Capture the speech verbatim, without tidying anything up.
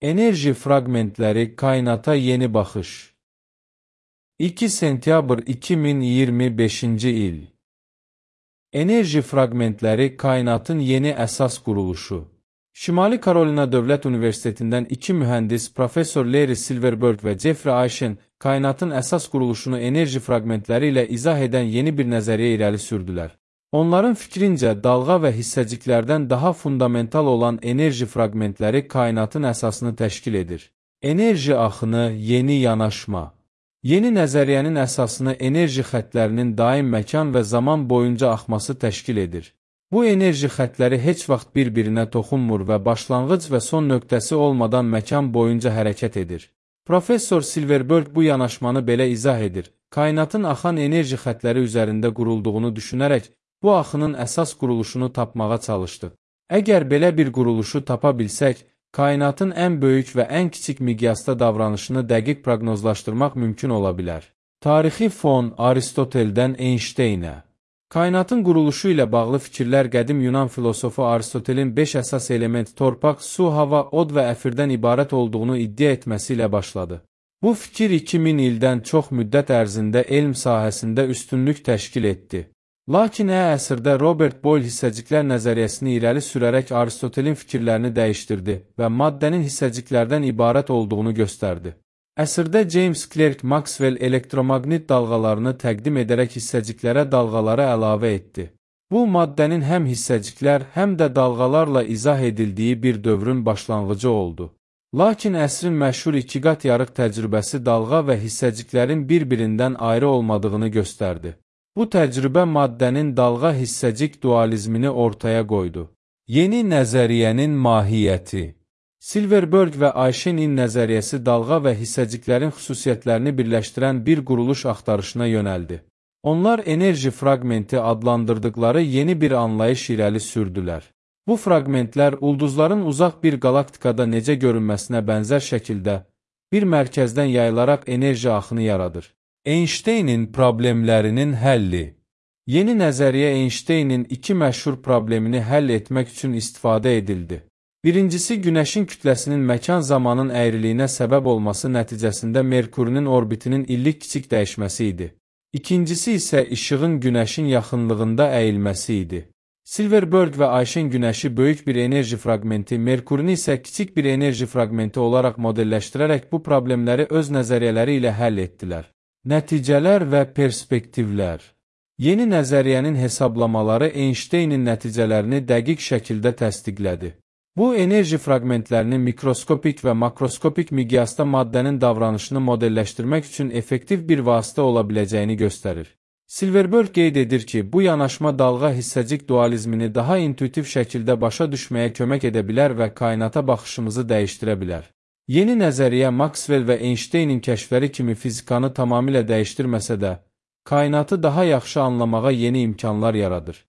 Enerji fragmentləri kainata yeni baxış. iki sentyabr iki min iyirmi beşinci il. Enerji fragmentləri kainatın yeni əsas quruluşu. Şimali Karolina Dövlət Universitetindən iki mühəndis, Professor Larry Silverberg və Jeffrey Ayşen, kainatın əsas quruluşunu enerji fragmentləri ilə izah edən yeni bir nəzəriyyə irəli sürdülər. Onların fikrincə, dalğa və hissəciklərdən daha fundamental olan enerji fragmentləri kainatın əsasını təşkil edir. Enerji axını, yeni yanaşma. Yeni nəzəriyyənin əsasını enerji xətlərinin daim məkan və zaman boyunca axması təşkil edir. Bu enerji xətləri heç vaxt bir-birinə toxunmur və başlanğıc və son nöqtəsi olmadan məkan boyunca hərəkət edir. Professor Silverberg bu yanaşmanı belə izah edir. Kainatın axan enerji xətləri üzərində qurulduğunu düşünərək, bu axının əsas quruluşunu tapmağa çalışdıq. Əgər belə bir quruluşu tapa bilsək, kainatın ən böyük və ən kiçik miqyasda davranışını dəqiq proqnozlaşdırmaq mümkün ola bilər. Tarixi fon Aristoteldən Einsteynə. Kainatın quruluşu ilə bağlı fikirlər qədim Yunan filosofu Aristotelin beş əsas element torpaq, su, hava, od və əfirdən ibarət olduğunu iddia etməsi ilə başladı. Bu fikir iki min ildən çox müddət ərzində elm sahəsində üstünlük təşkil etdi. Lakin ə əsrdə Robert Boyle hissəciklər nəzəriyyəsini irəli sürərək Aristotelin fikirlərini dəyişdirdi və maddənin hissəciklərdən ibarət olduğunu göstərdi. Əsrdə James Clerk Maxwell elektromaqnit dalğalarını təqdim edərək hissəciklərə dalğaları əlavə etdi. Bu, maddənin həm hissəciklər, həm də dalğalarla izah edildiyi bir dövrün başlanğıcı oldu. Lakin əsrin məşhur ikiqat yarıq təcrübəsi dalğa və hissəciklərin bir-birindən ayrı olmadığını göstərdi. Bu təcrübə maddənin dalğa-hissəcik dualizmini ortaya qoydu. Yeni nəzəriyyənin mahiyyəti. Silverberg və Ayşenin nəzəriyyəsi dalğa və hissəciklərin xüsusiyyətlərini birləşdirən bir quruluş axtarışına yönəldi. Onlar enerji fragmenti adlandırdıqları yeni bir anlayış irəli sürdülər. Bu fragmentlər ulduzların uzaq bir qalaktikada necə görünməsinə bənzər şəkildə bir mərkəzdən yayılaraq enerji axını yaradır. Einsteynin problemlərinin həlli. Yeni nəzəriyyə Einsteynin iki məşhur problemini həll etmək üçün istifadə edildi. Birincisi, Günəşin kütləsinin məkan-zamanın əyriliyinə səbəb olması nəticəsində Merkurinin orbitinin illik kiçik dəyişməsi idi. İkincisi isə işığın Günəşin yaxınlığında əyilməsi idi. Silverberg və Ayşen Günəşi böyük bir enerji fragmenti, Merkurini isə kiçik bir enerji fragmenti olaraq modelləşdirərək bu problemləri öz nəzəriyyələri ilə həll etdilər. Nəticələr və perspektivlər. Yeni nəzəriyyənin hesablamaları Einsteynin nəticələrini dəqiq şəkildə təsdiqlədi. Bu, enerji fragmentlərini mikroskopik və makroskopik miqyasda maddənin davranışını modelləşdirmək üçün effektiv bir vasitə ola biləcəyini göstərir. Silverberg qeyd edir ki, bu yanaşma dalğa hissəcik dualizmini daha intuitiv şəkildə başa düşməyə kömək edə bilər və kainata baxışımızı dəyişdirə bilər. Yeni nəzəriyyə Maxwell və Einsteynin kəşfləri kimi fizikanı tamamilə dəyişdirməsə də, kainatı daha yaxşı anlamağa yeni imkanlar yaradır.